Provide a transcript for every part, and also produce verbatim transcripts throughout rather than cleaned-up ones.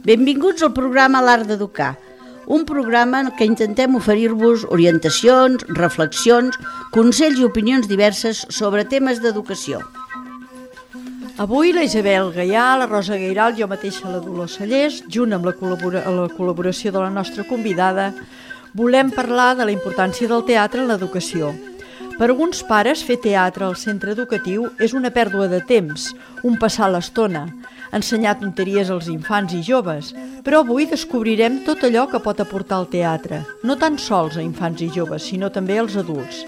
Benvinguts al programa L'Art d'Educar, un programa en què intentem oferir-vos orientacions, reflexions, consells i opinions diverses sobre temes d'educació. Avui la Isabel Gaià, la Rosa Gairal, jo mateixa la Dolors Sallés, junt amb la, col·labora- la col·laboració de la nostra convidada, volem parlar de la importància del teatre en l'educació. Per alguns pares, fer teatre al centre educatiu és una pèrdua de temps, un passar l'estona, ensenyar tonteries als infants i joves, però avui descobrirem tot allò que pot aportar el teatre, no tan sols a infants i joves, sinó també als adults.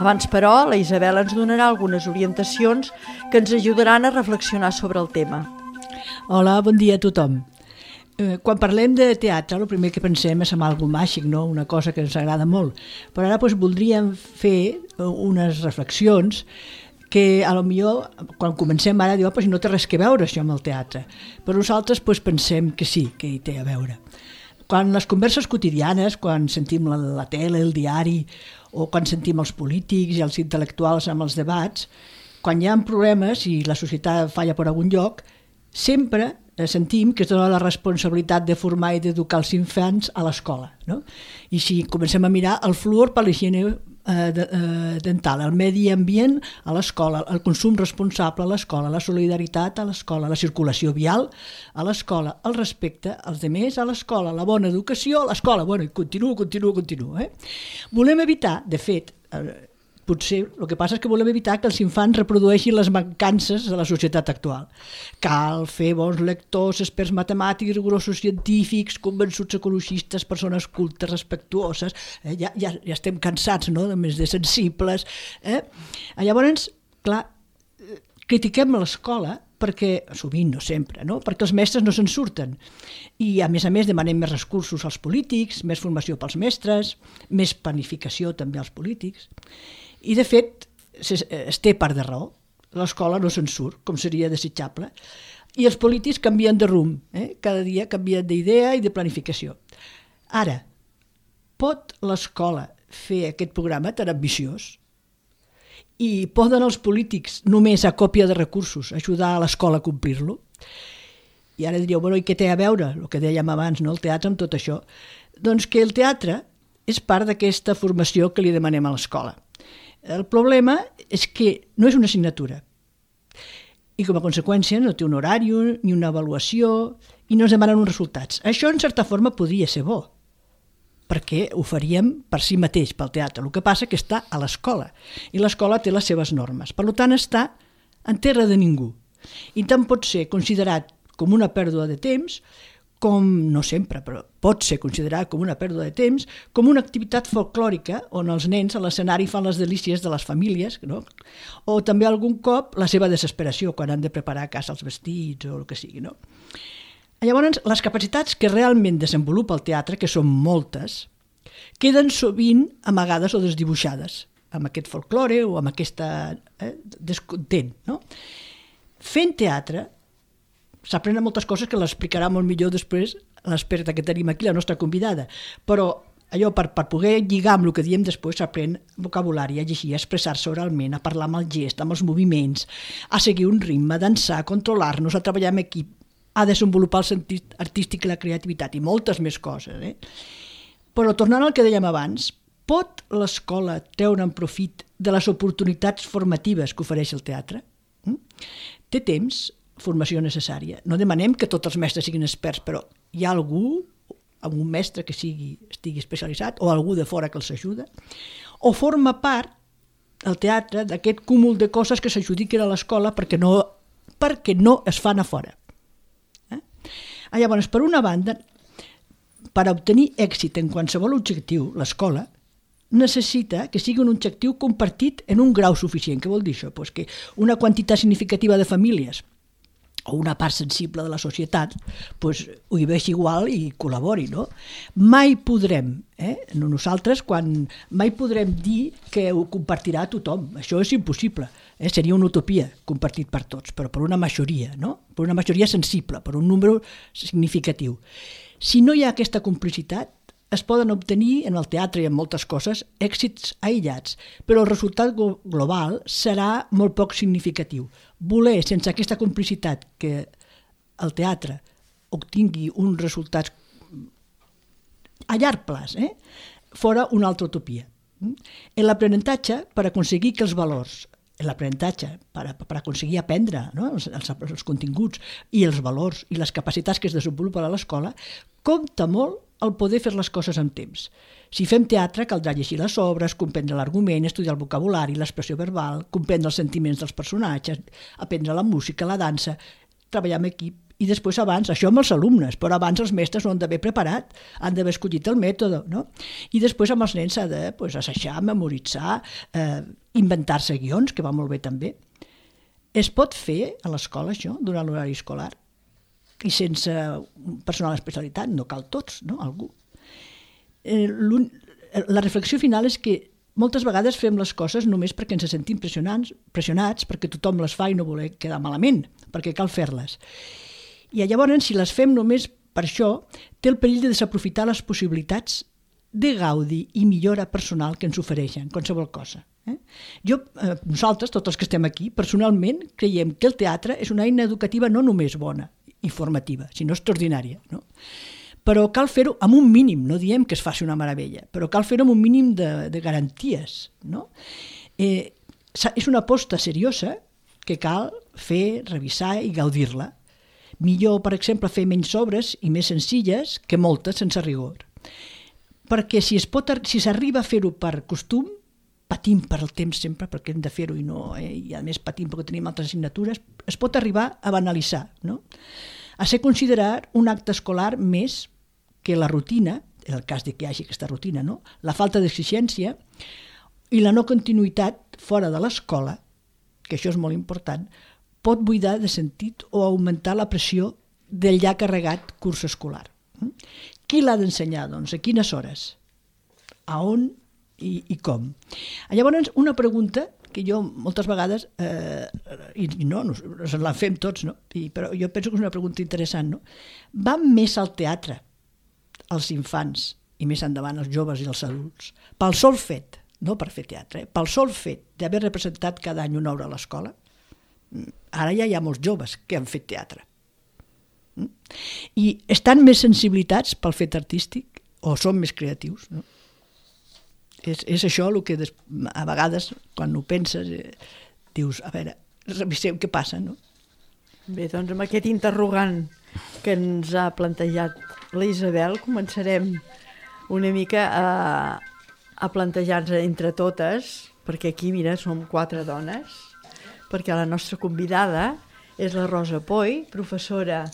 Abans, però, la Isabel ens donarà algunes orientacions que ens ajudaran a reflexionar sobre el tema. Hola, bon dia a tothom. Eh, quan parlem de teatre, el primer que pensem és en algo màgic, no? Una cosa que ens agrada molt. Però ara doncs, voldríem fer unes reflexions que a lo millor, quan comencem ara, diu, oh, no té res que veure això amb el teatre. Però nosaltres doncs, pensem que sí, que hi té a veure. Quan les converses quotidianes, quan sentim la, la tele, el diari, o quan sentim els polítics i els intel·lectuals amb els debats, quan hi ha problemes i la societat falla per algun lloc, sempre sentim que es dona la responsabilitat de formar i d'educar els infants a l'escola. No? I si comencem a mirar el fluor per l'higiene eh, de, eh, dental, el medi ambient a l'escola, el consum responsable a l'escola, la solidaritat a l'escola, la circulació vial a l'escola, el respecte als altres a l'escola, la bona educació a l'escola. Bueno, i continuo, continuo, continuo. Eh? Volem evitar, de fet, eh, potser el que passa és que volem evitar que els infants reprodueixin les mancances de la societat actual. Cal fer bons lectors, experts matemàtics, rigorosos científics, convençuts ecologistes, persones cultes, respectuoses. Eh? Ja, ja, ja estem cansats, no?, de més de sensibles. Eh? Llavors, clar, critiquem l'escola perquè, sovint, no sempre, no? Perquè els mestres no se'n surten. I, a més a més, demanem més recursos als polítics, més formació pels mestres, més planificació també als polítics. I, de fet, es, es té part de raó. L'escola no se'n surt, com seria desitjable. I els polítics canvien de rumb. Eh? Cada dia canvien d'idea i de planificació. Ara, pot l'escola fer aquest programa tan ambiciós? I poden els polítics, només a còpia de recursos, ajudar a l'escola a complir-lo? I ara diríeu, bueno, i què té a veure, el que dèiem abans, no? El teatre amb tot això? Doncs que el teatre és part d'aquesta formació que li demanem a l'escola. El problema és que no és una assignatura i com a conseqüència no té un horari ni una avaluació i no es demanen uns resultats. Això en certa forma podria ser bo perquè ho faríem per si mateix, pel teatre. El que passa és que està a l'escola i l'escola té les seves normes. Per tant, està en terra de ningú i tant pot ser considerat com una pèrdua de temps, com, no sempre, però pot ser considerat com una pèrdua de temps, com una activitat folclòrica on els nens a l'escenari fan les delícies de les famílies, no? O també algun cop la seva desesperació quan han de preparar a casa els vestits o el que sigui. No? Llavors, les capacitats que realment desenvolupa el teatre, que són moltes, queden sovint amagades o desdibuixades amb aquest folklore o amb aquesta eh, descontent. No? Fent teatre s'aprenen moltes coses que l'explicarà molt millor després l'experta que tenim aquí, la nostra convidada, però allò per, per poder lligar amb el que diem després s'aprèn vocabulari, a llegir, a expressar-se oralment, a parlar amb el gest, amb els moviments, a seguir un ritme, a dansar, a controlar-nos, a treballar en equip, a desenvolupar el sentit artístic i la creativitat i moltes més coses. Eh? Però tornant al que dèiem abans, pot l'escola treure en profit de les oportunitats formatives que ofereix el teatre? Mm? Té temps, formació necessària. No demanem que tots els mestres siguin experts, però hi ha algú, algun mestre que sigui, estigui especialitzat o algú de fora que els ajuda? O forma part el teatre d'aquest cúmul de coses que s'adjudiquen a l'escola perquè no, perquè no es fan a fora? Eh? Llavors, per una banda, per obtenir èxit en qualsevol objectiu, l'escola necessita que sigui un objectiu compartit en un grau suficient. Què vol dir això? Pues que una quantitat significativa de famílies o una part sensible de la societat pues, ho hi vegi igual i col·labori. No? Mai podrem, eh? no nosaltres, quan mai podrem dir que ho compartirà tothom. Això és impossible. Eh? Seria una utopia compartit per tots, però per una majoria, no? Per una majoria sensible, per un número significatiu. Si no hi ha aquesta complicitat, es poden obtenir en el teatre i en moltes coses èxits aïllats, però el resultat global serà molt poc significatiu. Voler, sense aquesta complicitat, que el teatre obtingui uns resultats a llarg plaç, eh? fora una altra utopia. En l'aprenentatge, per aconseguir que els valors, en l'aprenentatge, per, per aconseguir aprendre, no? els, els, els continguts i els valors i les capacitats que es desenvolupen a l'escola, compta molt el poder fer les coses amb temps. Si fem teatre, caldrà llegir les obres, comprendre l'argument, estudiar el vocabulari, l'expressió verbal, comprendre els sentiments dels personatges, aprendre la música, la dansa, treballar en equip. I després abans, això amb els alumnes, però abans els mestres ho han d'haver preparat, han d'haver escollit el mètode, no? I després amb els nens s'ha de pues, assajar, memoritzar, eh, inventar-se guions, que va molt bé també. Es pot fer a l'escola això, durant l'horari escolar, i sense personal d'especialitat, no cal tots, no? Algú. Eh, la reflexió final és que moltes vegades fem les coses només perquè ens sentim pressionats, pressionats, perquè tothom les fa i no voler quedar malament, perquè cal fer-les. I llavors, si les fem només per això, té el perill de desaprofitar les possibilitats de gaudi i millora personal que ens ofereixen, qualsevol cosa. Eh? Jo, eh, nosaltres, tots els que estem aquí, personalment creiem que el teatre és una eina educativa no només bona i formativa, sinó extraordinària. No? Però cal fer-ho amb un mínim, no diem que es faci una meravella, però cal fer-ho amb un mínim de, de garanties. No? Eh, és una aposta seriosa que cal fer, revisar i gaudir-la. Millor, per exemple, fer menys obres i més senzilles que moltes sense rigor. Perquè si es pot, si s'arriba a fer-ho per costum, patim per el temps sempre, perquè hem de fer-ho i no, eh? I a més patim perquè tenim altres assignatures, es pot arribar a banalitzar, no? A ser considerat un acte escolar més que la rutina, en el cas de que hi hagi aquesta rutina, no? La falta d'exigència i la no continuïtat fora de l'escola, que això és molt important, pot buidar de sentit o augmentar la pressió del ja carregat curs escolar. Qui l'ha d'ensenyar, doncs? A quines hores? A on i, i com? Llavors, una pregunta que jo moltes vegades, eh, i, i no, nos, nos la fem tots, no? I, però jo penso que és una pregunta interessant, no? Van més al teatre els infants i més endavant els joves i els adults pel sol fet, no per fer teatre, eh? Pel sol fet d'haver representat cada any una obra a l'escola. Ara ja hi ha molts joves que han fet teatre. I estan més sensibilitats pel fet artístic o són més creatius, no? És, és això el que des, a vegades, quan ho penses, eh, dius, a veure, reviseu què passa, no? Bé, doncs amb aquest interrogant que ens ha plantejat la Isabel, començarem una mica a, a plantejar-nos entre totes, perquè aquí, mira, som quatre dones, perquè la nostra convidada és la Rosa Poy, professora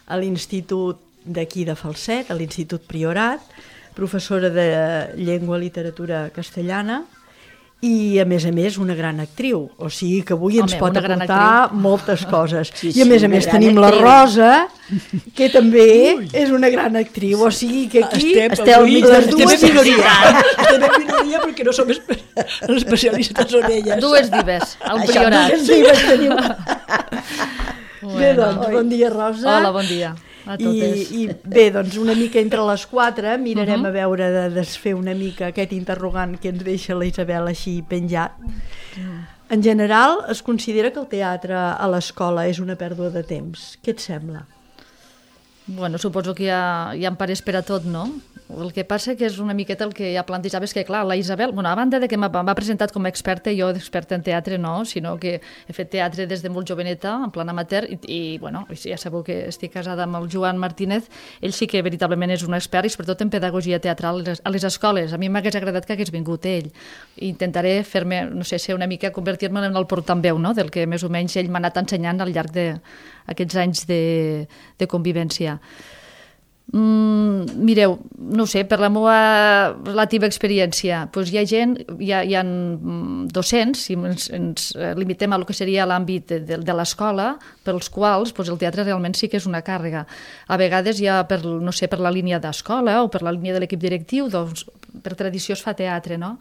a l'Institut d'aquí de Falset, a l'Institut Priorat, professora de llengua i literatura castellana i, a més a més, una gran actriu. O sigui que avui Home, ens pot aportar moltes coses. Sí, sí, I, a més a més, tenim actriu. La Rosa, que també Ui. És una gran actriu. O sigui que aquí estem, esteu avui, les dues estem en minoria. Estem en minoria perquè no som especialistes en elles. Dues divas, al Priorat. Dues divas tenim. Bueno, bé, doncs, oi. Bon dia, Rosa. Hola, bon dia. I, I bé, doncs una mica entre les quatre mirarem uh-huh. a veure de desfer una mica aquest interrogant que ens deixa la Isabel així penjat. Uh-huh. En general, es considera que el teatre a l'escola és una pèrdua de temps. Què et sembla? Bueno, suposo que hi ha, hi ha pares per a tot, no? El que passa que és una miqueta el que ja plantejaves, que clar, la Isabel, bueno, a banda de que m'ha presentat com a experta, jo d'experta en teatre no, sinó que he fet teatre des de molt joveneta, en plan amateur, i, i bueno, ja sabeu que estic casada amb el Joan Martínez, ell sí que veritablement és un expert, i sobretot en pedagogia teatral a les escoles. A mi m'hagués agradat que hagués vingut ell. Intentaré fer-me, no sé, ser una mica, convertir-me en el portaveu, no?, del que més o menys ell m'ha anat ensenyant al llarg d'aquests anys de, de convivència. Mm, mireu, no sé, per la meva relativa experiència, doncs hi ha gent, hi ha, hi ha docents, si ens, ens limitem a lo que seria l'àmbit de, de, de l'escola, pels quals doncs el teatre realment sí que és una càrrega. A vegades ja per, no sé, per la línia d'escola o per la línia de l'equip directiu, doncs per tradició es fa teatre, no?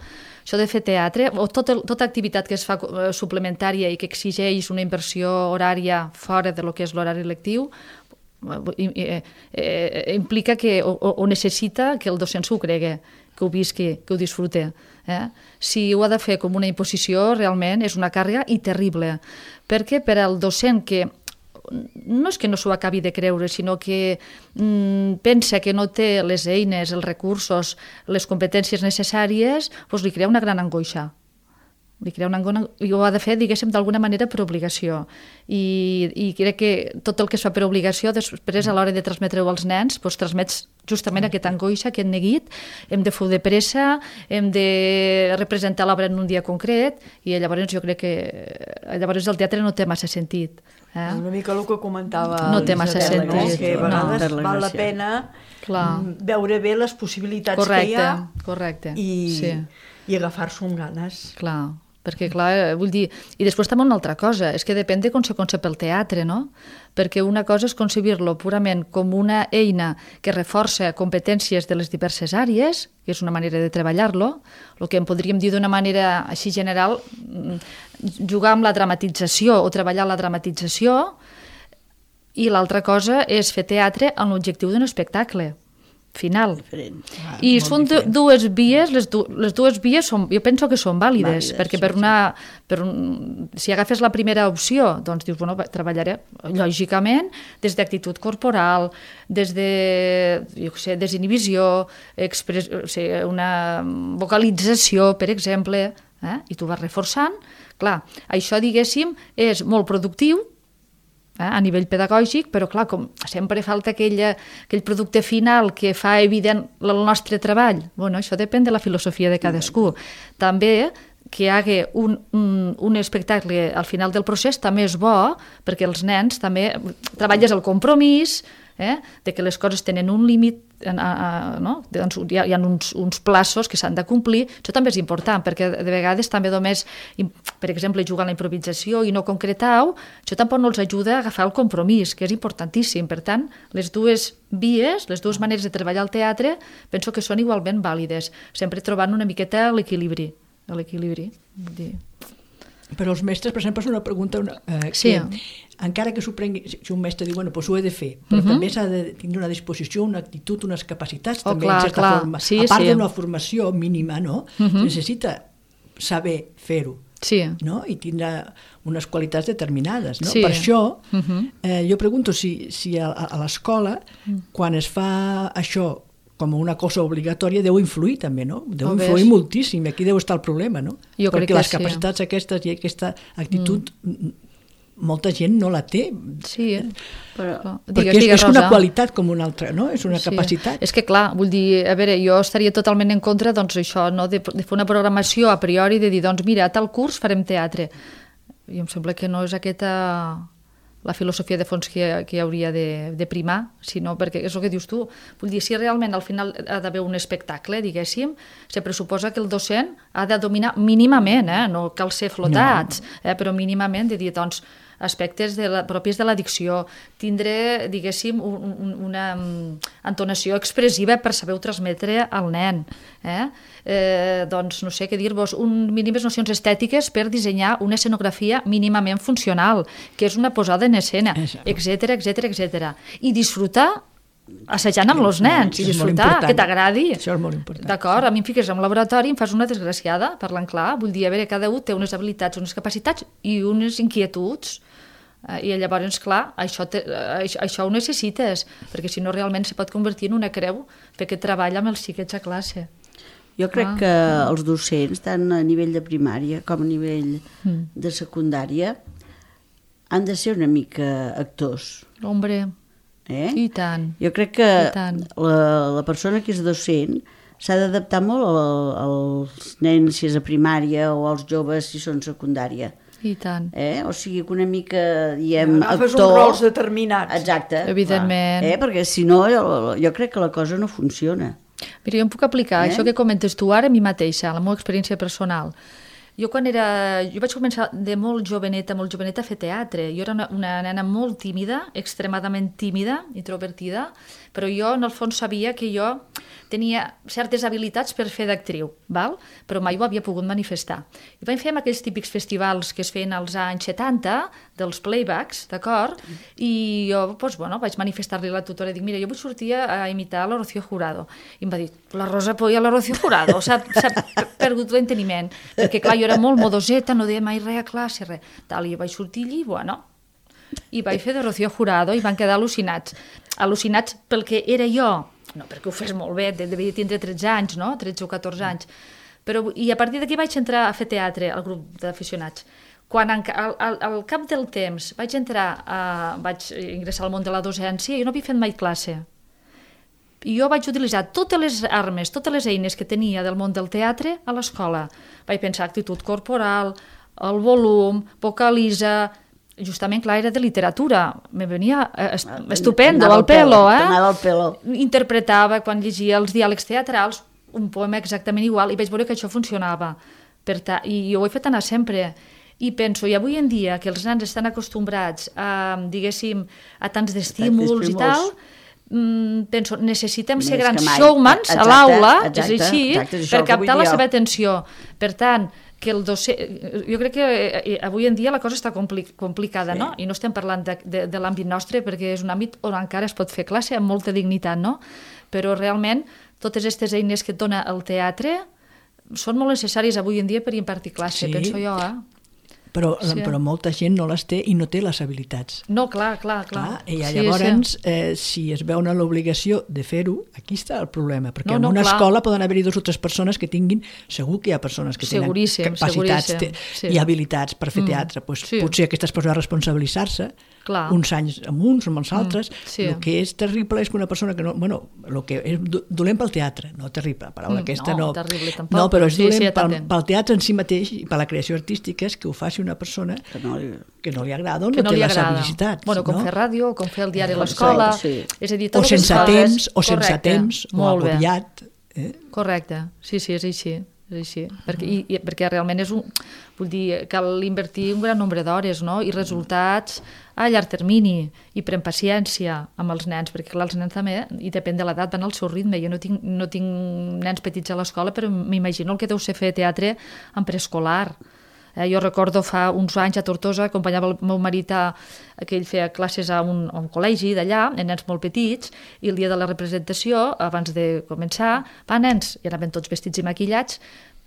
Això de fer teatre, o tota, tota activitat que es fa suplementària i que exigeix una inversió horària fora de lo que és l'horari lectiu, eh, eh, implica que, o, o necessita que el docent s'ho cregui, que ho visqui, que ho disfrute. Eh? Si ho ha de fer com una imposició, realment és una càrrega i terrible. Perquè per al docent que no és que no s'ho acabi de creure, sinó que mm, pensa que no té les eines, els recursos, les competències necessàries, doncs li crea una gran angoixa. Li crea una angoixa i ho ha de fer, diguéssim, d'alguna manera per obligació. I, I crec que tot el que es fa per obligació, després a l'hora de transmetre-ho als nens, doncs transmets justament aquesta angoixa, aquest neguit, hem de fer de pressa, hem de representar l'obra en un dia concret, i llavors jo crec que llavors el teatre no té massa sentit. Eh? Una mica el que comentava no té massa Isabel, sentit, no? Que a vegades no, val la pena Clar. veure bé les possibilitats correcte, que hi ha correcte. i, sí. i agafar-s'ho amb ganes. Clar, perquè clar, vull dir... I després també una altra cosa, és que depèn de com se concep el teatre, no? Perquè una cosa és concebir-lo purament com una eina que reforça competències de les diverses àrees, que és una manera de treballar-lo, el que en podríem dir d'una manera així general, jugar amb la dramatització o treballar la dramatització, i l'altra cosa és fer teatre amb l'objectiu d'un espectacle final. Ah, I són diferent. dues vies, les, du les dues vies són, jo penso que són vàlides, vàlides perquè sí, per una, per un, si agafes la primera opció, doncs dius, bueno, treballaré lògicament des d'actitud corporal, des de, jo què sé, desinhibició, express, o sigui, una vocalització, per exemple, eh? I tu vas reforçant. Clar, això, diguéssim, és molt productiu, Eh, a nivell pedagògic, però clar, com sempre falta aquella, aquell producte final que fa evident el nostre treball. Bueno, això depèn de la filosofia de cadascú. També que hi hagi un, un, un espectacle al final del procés també és bo, perquè els nens també treballes el compromís, eh, de que les coses tenen un límit, a, a, no? Doncs hi ha, hi ha uns, uns plaços que s'han de complir. Això també és important, perquè de vegades també només, per exemple, jugar a la improvisació i no concretar-ho, això tampoc no els ajuda a agafar el compromís, que és importantíssim. Per tant, les dues vies, les dues maneres de treballar al teatre, penso que són igualment vàlides, sempre trobant una miqueta l'equilibri. L'equilibri, vull dir... Però els mestres, per exemple, és una pregunta una, eh, sí. que, encara que s'ho prengui, si un mestre diu, bueno, doncs ho he de fer, però uh -huh. també s'ha de tenir una disposició, una actitud, unes capacitats, oh, també, clar, en certa clar. forma. Sí, a part sí. d'una formació mínima, no? Uh -huh. Necessita saber fer-ho. Sí. No? I tindrà unes qualitats determinades. No? Sí. Per això, uh -huh. eh, jo pregunto si, si a, a l'escola, uh -huh. quan es fa això com una cosa obligatòria, deu influir també, no? Deu oh, influir ves. moltíssim, aquí deu estar el problema, no? Jo Perquè crec les que capacitats sí. aquestes i aquesta actitud, mm. molta gent no la té. Sí, però... Perquè digues, és, digues, és una Rosa. qualitat com una altra, no? És una sí. capacitat. És que clar, vull dir, a veure, jo estaria totalment en contra, doncs això, no? de, de fer una programació a priori, de dir, doncs mira, a tal curs farem teatre. I em sembla que no és aquesta... la filosofia de fons que, que hauria de, de primar, sinó perquè és el que dius tu. Vull dir, si realment al final ha d'haver un espectacle, diguéssim, se pressuposa que el docent ha de dominar mínimament, eh? No cal ser flotats, no. eh? Però mínimament de dir, doncs, aspectes de la, propis de la dicció, tindre, diguéssim, un, un, una um, entonació expressiva per saber-ho transmetre al nen. Eh? Eh, doncs, no sé què dir-vos, un, mínimes nocions estètiques per dissenyar una escenografia mínimament funcional, que és una posada en escena, etcètera, etcètera, etcètera. I disfrutar assajant amb els nens, i disfrutar, que t'agradi. Això és molt important. D'acord, a mi em fiques en un laboratori i em fas una desgraciada, parlant clar, vull dir, a veure, cada un té unes habilitats, unes capacitats i unes inquietuds. I llavors, clar, això, te, això, això ho necessites, perquè si no realment se pot convertir en una creu perquè treballa amb els xiquets a classe. Jo crec ah. que els docents, tant a nivell de primària com a nivell mm. de secundària, han de ser una mica actors. Hombre, eh? I tant. Jo crec que la, la persona que és docent s'ha d'adaptar molt als nens si és a primària o als joves si són secundària. I tant. Eh? O sigui que una mica, diem, ja, agafes actor... uns rols determinats. Exacte. Evidentment. Eh? Perquè si no, jo, jo crec que la cosa no funciona. Mira, jo em puc aplicar eh? això que comentes tu ara a mi mateixa, a la meva experiència personal. Jo quan era... Jo vaig començar de molt joveneta, molt joveneta a fer teatre. Jo era una, una nena molt tímida, extremadament tímida, introvertida, però jo en el fons sabia que jo tenia certes habilitats per fer d'actriu, val? Però mai ho havia pogut manifestar. I vam fer aquells típics festivals que es feien als anys setanta, dels playbacks, d'acord? I jo, doncs, bueno, vaig manifestar-li a la tutora, dic, mira, jo vull sortir a imitar la Rocío Jurado. I em va dir, la Rosa Polla, la Rocío Jurado, s'ha perdut l'enteniment. Perquè, clar, jo era molt modoseta, no deia mai res a classe, res. Tal, i jo vaig sortir allí, bueno, i vaig fer de Rocío Jurado i van quedar al·lucinats. Al·lucinats pel que era jo, no perquè ho fes molt bé, devia tindre tretze anys, no? tretze o catorze anys. Però, i a partir d'aquí vaig entrar a fer teatre al grup d'aficionats. Quan al, al, al cap del temps vaig entrar, a, vaig ingressar al món de la docència, jo no havia fet mai classe. I jo vaig utilitzar totes les armes, totes les eines que tenia del món del teatre a l'escola. Vaig pensar actitud corporal, el volum, vocalitza. Justament, clar, era de literatura. Me venia estupendo, al pelo, eh? Anava al pelo. Interpretava, quan llegia els diàlegs teatrals, un poema exactament igual, i vaig veure que això funcionava. Per ta... I ho he fet anar sempre. I penso, i avui en dia, que els nens estan acostumbrats a, diguéssim, a tants d'estímuls i tal, penso, necessitem ser grans showmans a l'aula, és així, per captar la seva atenció. Per tant, que el docent... Jo crec que avui en dia la cosa està compli complicada, sí. No? I no estem parlant de, de, de l'àmbit nostre, perquè és un àmbit on encara es pot fer classe amb molta dignitat, no? Però realment totes aquestes eines que et dona el teatre són molt necessàries avui en dia per impartir classe, sí. Penso jo, eh? Però, sí. Però molta gent no les té i no té les habilitats. No, clar, clar, clar. clar I sí, llavors, sí. Eh, si es veuen l'obligació de fer-ho, aquí està el problema, perquè no, no, en una clar. escola poden haver-hi dues o tres persones que tinguin, segur que hi ha persones que tenen capacitats te, sí. i habilitats per fer mm. teatre, pues, sí. potser aquestes persones responsabilitzar-se, clar. uns anys amb uns, amb els altres, mm. sí. el que és terrible és que una persona que no... Bueno, el que és dolent pel teatre, no terrible, paraula mm, aquesta no... No, terrible tampoc. No, però és sí, dolent sí, pel, pel teatre en si mateix i per la creació artística, és que ho faci una persona que no li, que no li agrada o no, no té les habilitats. Bueno, com no? fer ràdio, com fer el diari a l'escola... Sí. És a dir, o sense temps, o sense temps, o agobiat. Eh? Correcte, sí, sí, és així. És així. Perquè, i, i, perquè realment és un... Vull dir, cal invertir un gran nombre d'hores, no? I resultats a llarg termini, i pren paciència amb els nens, perquè clar, els nens també, i depèn de l'edat, van al seu ritme. Jo no tinc, no tinc nens petits a l'escola, però m'imagino el que deu ser fer teatre en preescolar. Eh, jo recordo fa uns anys a Tortosa, acompanyava el meu marit a, que ell feia classes a un, a un col·legi d'allà, en nens molt petits, i el dia de la representació, abans de començar, va, nens, i anaven tots vestits i maquillats,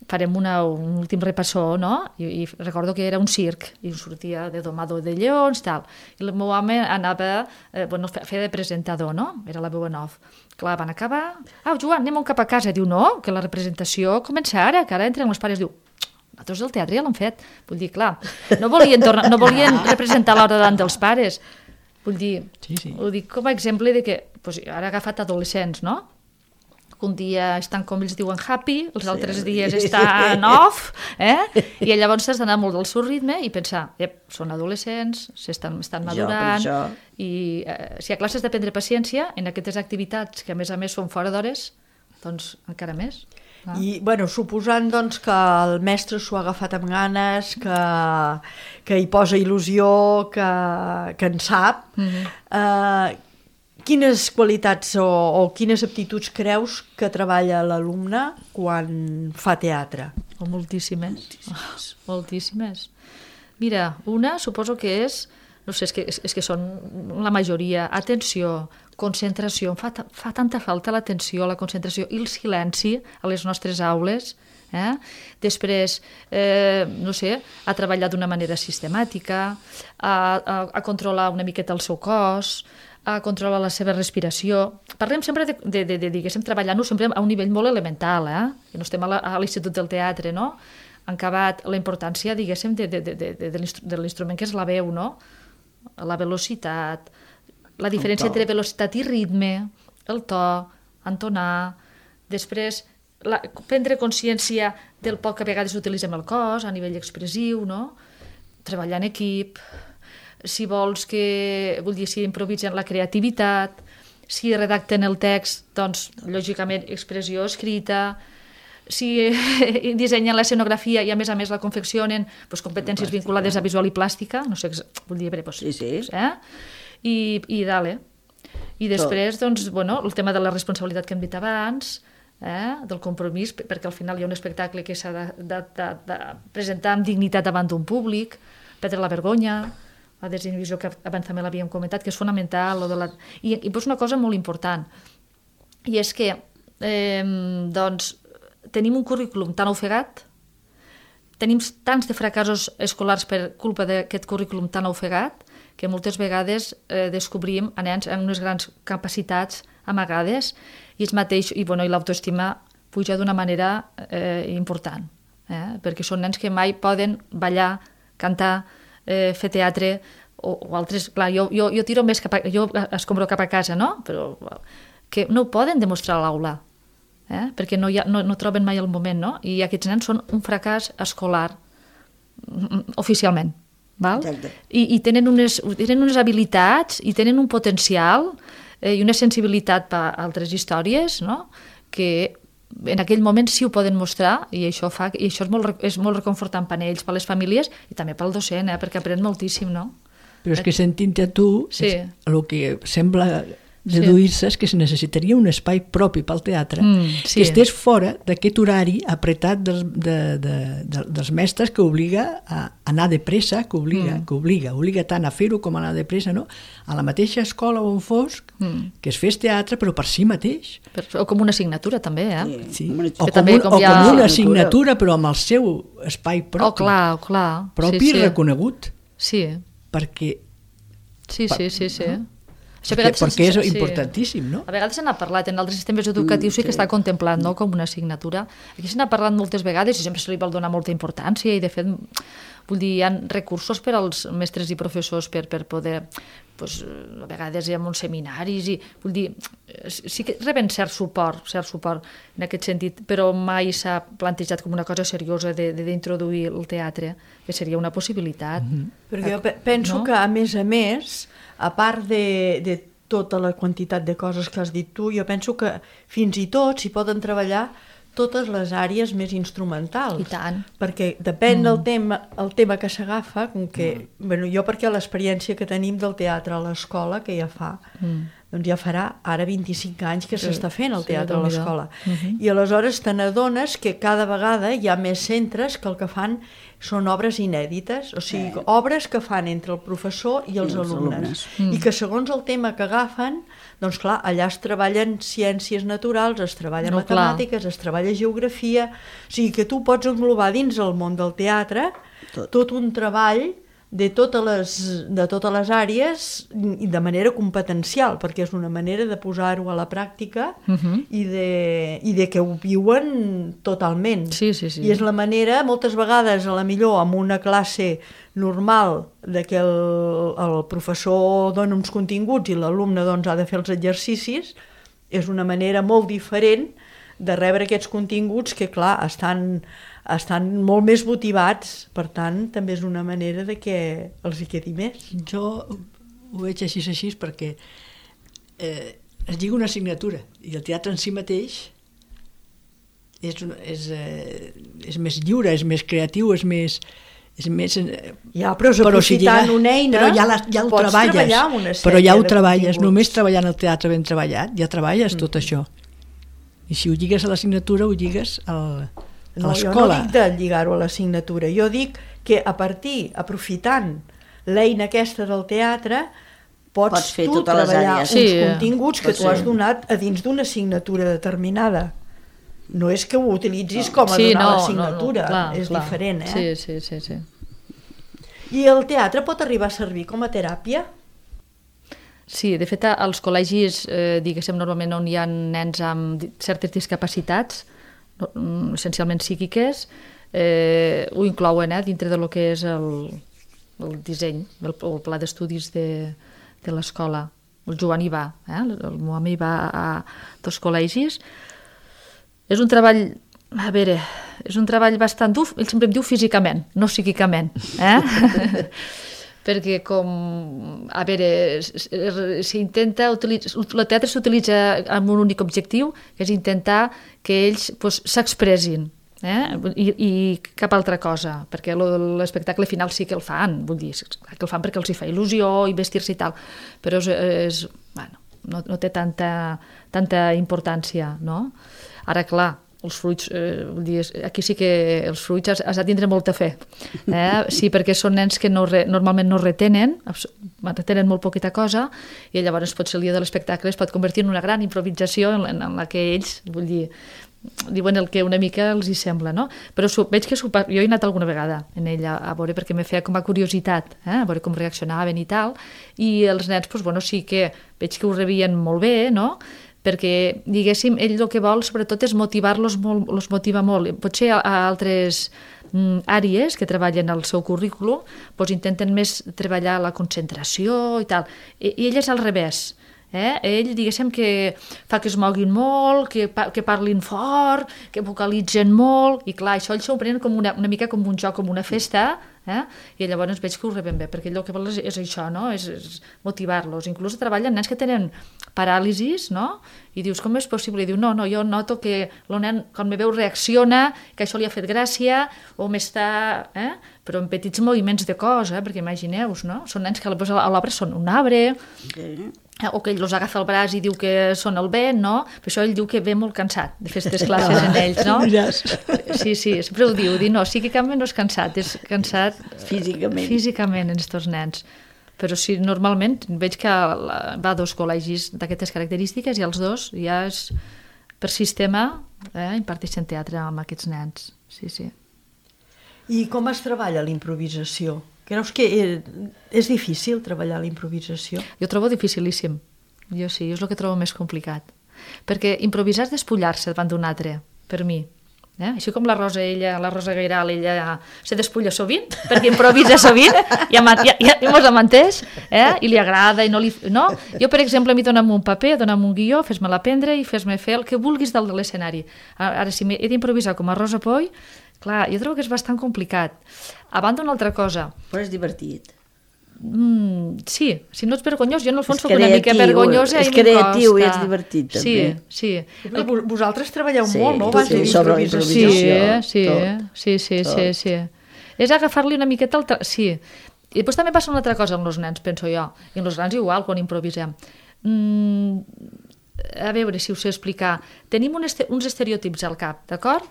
farem una, un últim repassó, no? I, i recordo que era un circ, i sortia de domado de lleons, tal. I el meu home anava, eh, bueno, feia de presentador, no? Era la veu en off. Clar, van acabar... Ah, Joan, anem cap a casa. Diu, no, que la representació comença ara, que ara entren els pares. Diu, nosaltres el teatre ja l'han fet. Vull dir, clar, no volien, tornar, no volien representar l'hora davant dels pares. Vull dir, sí, sí. Ho dic com a exemple de que, doncs, ara ha agafat adolescents, no? Un dia estan, com ells diuen, happy, els altres sí, dies estan off, eh? I llavors has d'anar molt del seu ritme i pensar, ep, són adolescents, estan, estan madurant, jo, i eh, si hi ha classes de prendre paciència, en aquestes activitats que a més a més són fora d'hores, doncs encara més. Ah. I, bueno, suposant doncs, que el mestre s'ho ha agafat amb ganes, que, que hi posa il·lusió, que, que en sap, mm-hmm. eh, quines qualitats o, o quines aptituds creus que treballa l'alumne quan fa teatre? Oh, moltíssimes. Moltíssimes. Oh, moltíssimes. Mira, una suposo que és, no sé, és que, és, és que són la majoria, atenció, concentració, fa, fa tanta falta l'atenció, la concentració i el silenci a les nostres aules. Eh? Després, eh, no sé, a treballar d'una manera sistemàtica, a, a, a controlar una miqueta el seu cos, a controlar la seva respiració. Parlem sempre de, de, de, de diguéssim, treballant-ho sempre a un nivell molt elemental, eh? Que no estem a l'Institut del Teatre, no? Han acabat la importància, diguéssim, de, de, de, de, de l'instrument que és la veu, no? La velocitat, la diferència entre velocitat i ritme, el to, entonar, després la, prendre consciència del poc que a vegades utilitzem el cos a nivell expressiu, no? Treballar en equip, si vols que, vull dir, si improvisen la creativitat, si redacten el text, doncs, lògicament, expressió escrita, si dissenyen l'escenografia i, a més a més, la confeccionen, doncs, competències vinculades a visual i plàstica, no sé, vull dir, doncs, sí, sí. Eh? I, i dale. I després, doncs, bueno, el tema de la responsabilitat que hem dit abans, eh, del compromís, perquè al final hi ha un espectacle que s'ha de, de, de, de presentar amb dignitat davant d'un públic, perdre la vergonya, la desinhibició que abans també l'havíem comentat, que és fonamental. O de la... I, i pues una cosa molt important, i és que eh, doncs, tenim un currículum tan ofegat, tenim tants de fracassos escolars per culpa d'aquest currículum tan ofegat, que moltes vegades eh, descobrim a nens amb unes grans capacitats amagades i ells mateix, i, bueno, i l'autoestima puja d'una manera eh, important, eh? Perquè són nens que mai poden ballar, cantar, eh, fer teatre o, o altres... Clar, jo, jo, jo tiro més cap a... Jo escombro cap a casa, no? Però que no ho poden demostrar a l'aula, eh? Perquè no, hi ha, no, no troben mai el moment, no? I aquests nens són un fracàs escolar oficialment. Val? I, i tenen, unes, tenen unes habilitats i tenen un potencial eh, i una sensibilitat per a altres històries, no? Que en aquell moment sí ho poden mostrar i això, fa, i això és, molt, és molt reconfortant per a ells, per a les famílies i també pel docent, eh, perquè aprèn moltíssim, no? Però és que sentint-te a tu, sí. El que sembla deduir-se és que se necessitaria un espai propi pel teatre, mm, sí. Que estés fora d'aquest horari apretat dels, de, de, de, dels mestres que obliga a anar de pressa, que obliga, mm. que obliga, obliga tant a fer-ho com a anar de pressa, no? A la mateixa escola on fos, mm. que es fes teatre, però per si mateix. Per, o com una assignatura, també, eh? Sí. Sí. O, com també, un, com o ha... com una assignatura, però amb el seu espai propi. Oh, clar, clar. Propi sí, sí. I reconegut. Sí. Perquè... Sí, per, sí, sí, sí. No? Això perquè, perquè és importantíssim, no? A vegades se n'ha parlat, en altres sistemes educatius sí que està contemplat, no?, com una assignatura. Aquí se n'ha parlat moltes vegades i sempre se li vol donar molta importància i, de fet, vull dir, hi ha recursos per als mestres i professors per, per poder, pues, a vegades hi ha uns seminaris i, vull dir, sí que reben cert suport, cert suport en aquest sentit, però mai s'ha plantejat com una cosa seriosa d'introduir el teatre, que seria una possibilitat. Mm-hmm. Perquè jo penso no? que, a més a més, a part de, de tota la quantitat de coses que has dit tu, jo penso que fins i tot s'hi poden treballar totes les àrees més instrumentals. I tant. Perquè depèn mm. del tema, el tema que s'agafa, com que, mm. bueno, jo perquè l'experiència que tenim del teatre a l'escola, que ja fa, mm. doncs ja farà ara vint-i-cinc anys que s'està sí, fent el teatre sí, a l'escola. Mm-hmm. I aleshores te n'adones que cada vegada hi ha més centres que el que fan són obres inèdites, o sigui, eh. obres que fan entre el professor i els, I els alumnes. alumnes. Mm. I que segons el tema que agafen, doncs clar, allà es treballen ciències naturals, es treballen no, matemàtiques, clar. Es treballa geografia, o sigui que tu pots englobar dins el món del teatre tot, tot un treball de totes les, de totes les àrees i de manera competencial, perquè és una manera de posar-ho a la pràctica uh-huh. i, de, i de que ho viuen totalment. Sí, sí, sí. I és la manera, moltes vegades, a la millor, amb una classe normal, de que el, el professor dona uns continguts i l'alumne doncs, ha de fer els exercicis, és una manera molt diferent de rebre aquests continguts que, clar, estan... estan molt més motivats, per tant, també és una manera de que els hi quedi més. Jo ho veig així, així, perquè eh, es lliga una assignatura i el teatre en si mateix és, és, eh, és més lliure, és més creatiu, és més... És més ja, però és aprofitant si una eina, però ja, la, ja el treballes, però ja ho treballes, només treballant el teatre ben treballat, ja treballes mm. tot això. I si ho lligues a l'assignatura, ho lligues al... No, jo no dic de lligar-ho a l'assignatura, jo dic que a partir, aprofitant l'eina aquesta del teatre, pots, pots fer tu treballar uns sí, continguts que tu has donat a dins d'una assignatura determinada. No és que ho utilitzis no. com a sí, donar no, l'assignatura, no, no, clar, és clar. diferent, eh? Sí, sí, sí, sí. I el teatre pot arribar a servir com a teràpia? Sí, de fet, als col·legis, eh, diguéssim, normalment on hi ha nens amb certes discapacitats, essencialment psíquiques, eh, ho inclouen eh, dintre de lo que és el, el disseny, el, el pla d'estudis de, de l'escola. El Joan hi va, eh? el meu home hi va a dos col·legis. És un treball, a veure, és un treball bastant dur, ell sempre em diu físicament, no psíquicament. Eh? Perquè com, a veure, s'intenta utilitzar, el teatre s'utilitza amb un únic objectiu, que és intentar que ells pues, s'expressin, eh? I, i cap altra cosa, perquè l'espectacle final sí que el fan, vull dir, que el fan perquè els hi fa il·lusió i vestir-se i tal, però és, és, bueno, no, no té tanta, tanta importància, no? Ara, clar, els fruits, eh, vull dir, aquí sí que els fruits has, has de tindre molta fe. Eh? Sí, perquè són nens que no re, normalment no retenen, retenen molt poqueta cosa, i llavors potser el dia de l'espectacle es pot convertir en una gran improvisació en, en, en la que ells, vull dir, diuen el que una mica els hi sembla, no? Però su, veig que super, jo he anat alguna vegada en ella a veure, perquè me feia com a curiositat, eh? A veure com reaccionaven i tal, i els nens, doncs, bueno, sí que veig que ho rebien molt bé, no?, perquè, diguéssim, ell el que vol sobretot és motivar-los molt, els motiva molt. Potser a, a altres mm, àrees que treballen al seu currículum doncs intenten més treballar la concentració i tal, i, i ell és al revés. Eh? Ell, diguéssim, que fa que es moguin molt, que, pa que parlin fort, que vocalitzen molt, i clar, això ells s'ho prenen com una, una mica com un joc, com una festa, eh? I llavors veig que ho reben bé, perquè ell el que vol és, és això, no? És, és motivar-los. Inclús treballen nens que tenen paràlisis, no? I dius, com és possible? I diu, no, no, jo noto que el nen, quan me veu, reacciona, que això li ha fet gràcia, o m'està... Eh? Però en petits moviments de cos, eh? Perquè imagineu-vos, no? Són nens que a l'obra són un arbre, okay. O que ell els agafa el braç i diu que són el vent, no? Per això ell diu que ve molt cansat de fer aquestes classes en ells, no? Sí, sí, sempre ho diu, diu, no, sí que canvi no és cansat, és cansat físicament, físicament en aquests nens. Però sí, normalment veig que va a dos col·legis d'aquestes característiques i els dos ja és per sistema, eh, imparteixen teatre amb aquests nens. Sí, sí. I com es treballa l'improvisació? Creus que és difícil treballar la improvisació? Jo trobo dificilíssim. Jo sí, és el que trobo més complicat. Perquè improvisar és despullar-se davant d'un altre, per mi. Eh? Així com la Rosa, ella, la Rosa Guiral, ella se despulla sovint, perquè improvisa sovint, ja, ja, ja, ja mos amenteix, eh? I li agrada, i no li... No? Jo, per exemple, a mi dona'm un paper, dona'm un guió, fes-me l'aprendre i fes-me fer el que vulguis dalt de l'escenari. Ara, si he d'improvisar com a Rosa Poy, clar, jo trobo que és bastant complicat. A banda, una altra cosa. Però és divertit. Mm, sí, si no ets vergonyós, jo en el fons soc una mica vergonyosa i m'hi costa. És creatiu i ets divertit, també. Sí, sí. Però vosaltres treballeu sí, molt, no? Sí, sí, sobre la improvisació. Sí, sí, sí, sí, sí. És agafar-li una miqueta el... Tra... Sí. I després també passa una altra cosa amb els nens, penso jo. I amb els nens igual, quan improvisem. Mm, a veure si us sé explicar. Tenim un este... uns estereotips al cap, d'acord?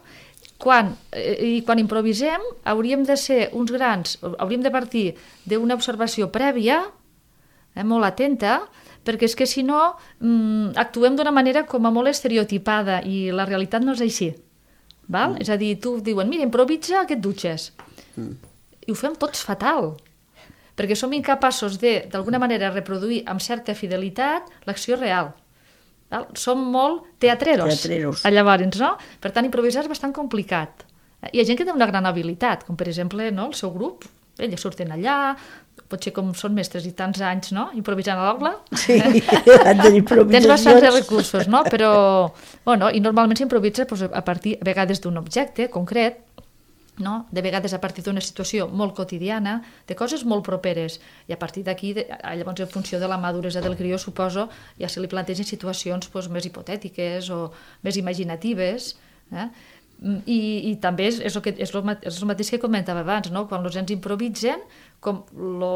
Quan, i quan improvisem hauríem de ser uns grans, hauríem de partir d'una observació prèvia, eh, molt atenta, perquè és que si no mm, actuem d'una manera com a molt estereotipada i la realitat no és així. Val? Mm. És a dir, tu diuen, mira, improvisa que et dutxes. Mm. I ho fem tots fatal, perquè som incapaços de, d'alguna manera, reproduir amb certa fidelitat l'acció real. Val? Som molt teatreros, teatreros. Llavors, no? Per tant, improvisar és bastant complicat. Hi ha gent que té una gran habilitat, com per exemple, no? El seu grup, elles surten allà, potser com són mestres i tants anys, no? Improvisant a l'aula. Sí, han de improvisacions. Tens bastants recursos, no? Però, bueno, i normalment s'improvisa doncs, a partir, a vegades, d'un objecte concret, no? De vegades a partir d'una situació molt quotidiana, de coses molt properes, i a partir d'aquí, llavors en funció de la maduresa del crió, suposo, ja se li plantegen situacions doncs, més hipotètiques o més imaginatives, eh? I, i també és, és, el que, és, el, és el mateix que comentava abans, no? Quan els nens improvisen, com, lo,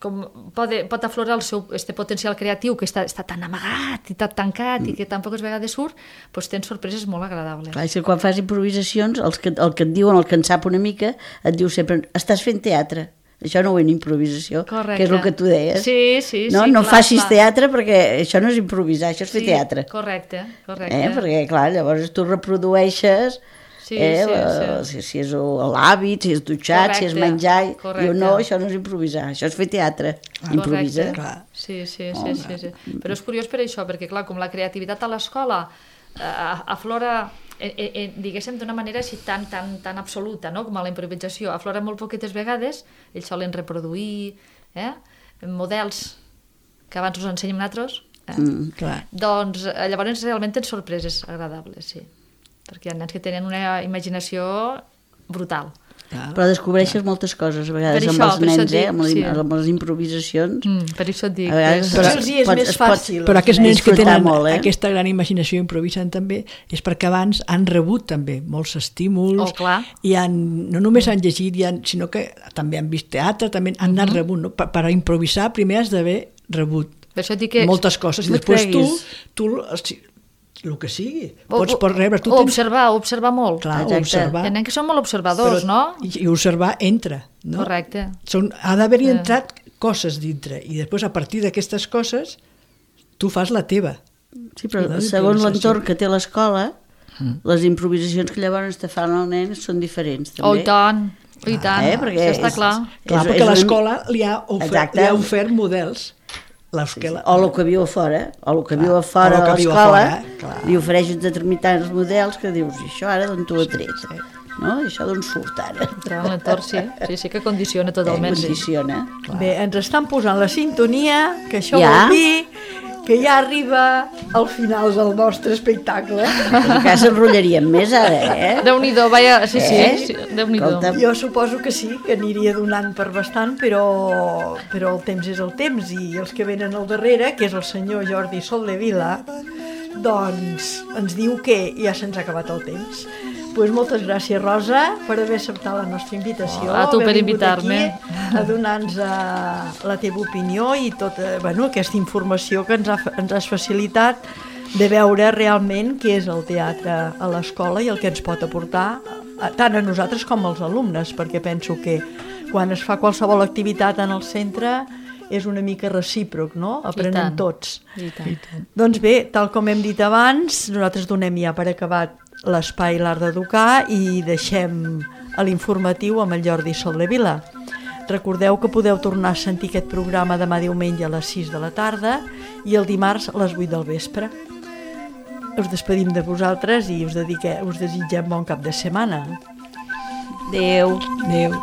com pot, pot aflorar el seu este potencial creatiu que està, està tan amagat i tan tancat mm. i que tan poques vegades surt, doncs tens sorpreses molt agradables. Clar, és que quan fas improvisacions, els que, el que et diuen, el que en sap una mica, et diu sempre, estàs fent teatre. Això no ho és improvisació, correcte. Que és el que tu deies. Sí, sí, no, sí. No clar, facis clar. Teatre perquè això no és improvisar, això és sí, fer teatre. Correcte, correcte. Eh? Perquè, clar, llavors tu reprodueixes sí, eh, sí, la, sí. Si, si és l'hàbit, si és dutxat, correcte, si és menjar. Correcte. Diu, no, això no és improvisar, això és fer teatre. Ah, improvisa. Sí, sí, sí, oh, sí, sí. Però és curiós per això, perquè, clar, com la creativitat a l'escola eh, aflora... Eh, eh, diguéssim d'una manera així tan, tan, tan absoluta, no? Com a la improvisació aflora molt poquetes vegades, ells solen reproduir eh? models que abans us ensenyem nosaltres, eh? mm, clar. Doncs llavors realment tens sorpreses agradables, sí, perquè hi ha nens que tenen una imaginació brutal. Clar. Però descobreixes clar. moltes coses a vegades això, amb els nens, dic, eh? amb, les, sí. amb les improvisacions. Mm, per això et dic. A vegades però, els és pot, més fàcil. Però aquests nens que tenen molt, eh? aquesta gran imaginació improvisen també és perquè abans han rebut també molts estímuls oh, clar. i han, no només han llegit, han, sinó que també han vist teatre, també han anat uh -huh. rebut. No? Per, per improvisar primer has d'haver rebut. Per això dic que... moltes coses, i no et després tu, creguis. tu el que sigui, O- pots per rebre, tu o tens... observar, observar molt. Clar, Exacte. observar. Hi ha nens que són molt observadors, però- no? I, I observar entra, no? Correcte. Són, ha d'haver-hi Eh. entrat coses dintre, i després a partir d'aquestes coses tu fas la teva. Sí, però No, segons improvisació. l'entorn que té l'escola, les improvisacions que llavors te fan el nen són diferents, també. Oh, i tant, oh, i tant, eh, perquè això està és- clar. Clar, És- perquè és una- l'escola li, ha ofert, Exacte. li ha ofert models. L'escola... O el que viu a fora, o el que viu a o fora el de que viu a l'escola, fora, clar. li ofereix uns determinats models que dius, i això ara d'on t'ho ha tret? No? I això d'on surt ara? Entrar en l'entorn, sí. Sí, sí que condiciona totalment. Sí. Condiciona. Bé, ens estan posant la sintonia, que això Ja? vol dir que ja arriba al final del nostre espectacle. Encara s'enrotllaríem més ara, eh? Déu-n'hi-do, vaja, sí, sí, Eh? sí Déu-n'hi-do. Escolta. Jo suposo que sí, que aniria donant per bastant, però, però el temps és el temps, i els que venen al darrere, que és el senyor Jordi Soldevila, doncs ens diu que ja se'ns ha acabat el temps. Pues moltes gràcies, Rosa, per haver acceptat la nostra invitació. A tu per haver vingut invitar-me. aquí A donar-nos uh, la teva opinió i tota bueno, aquesta informació que ens, ha, ens has facilitat de veure realment què és el teatre a l'escola i el que ens pot aportar a, tant a nosaltres com als alumnes, perquè penso que quan es fa qualsevol activitat en el centre és una mica recíproc, no? Aprenem tant. tots. I tant. Doncs bé, tal com hem dit abans, nosaltres donem ja per acabat l'espai L'Art d'Educar i deixem a l'informatiu amb el Jordi Soldevila. Recordeu que podeu tornar a sentir aquest programa demà diumenge a les sis de la tarda i el dimarts a les vuit del vespre. Us despedim de vosaltres i us, dedique, us desitgem bon cap de setmana. Adéu. Adéu.